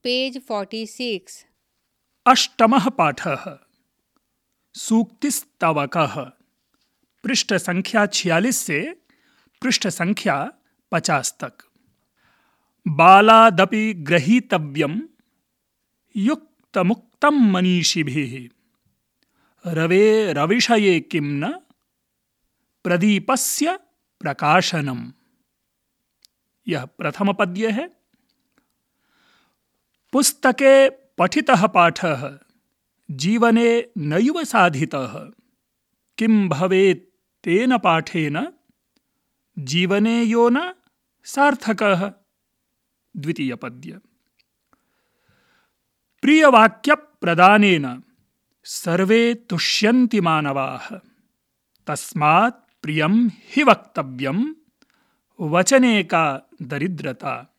Page 46। अष्टमः पाठः सूक्तिस्तवकः पृष्ठ संख्या 46 से पृष्ठ संख्या 50 तक। बालादपि ग्रहीतव्यं युक्तमुक्तं मनीषिभिः रवेरविषये किं न प्रदीपस्य प्रकाशनम्। यह प्रथम पद्य है। पुस्तके पठितः पाठः जीवने नैव साधितः किं भवेत् तेन पाठेन जीवने यो न सार्थकः। द्वितीय पद्य। प्रियवाक्यप्रदानेन सर्वे तुष्यन्ति मानवाः तस्मात् प्रियं हि वक्तव्यं वचने का दरिद्रता।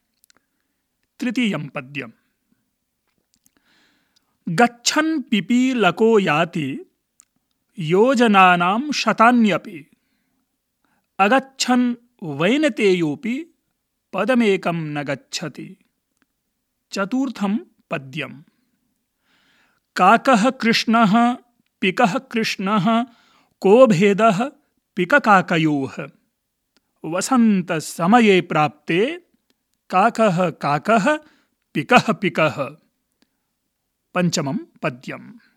तृतीयं पद्यम्। गच्छन् पिपीलको याति योजनानां शतान्यपि अगच्छन् वैनतेयोऽपि पदमेकं न गच्छति। चतुर्थं पद्यम्। काकः कृष्णः पिकः कृष्णः को भेदः पिककाकयोः वसन्तसमये प्राप्ते काकः काकः पिकः पिकः। पंचमं पद्यम्।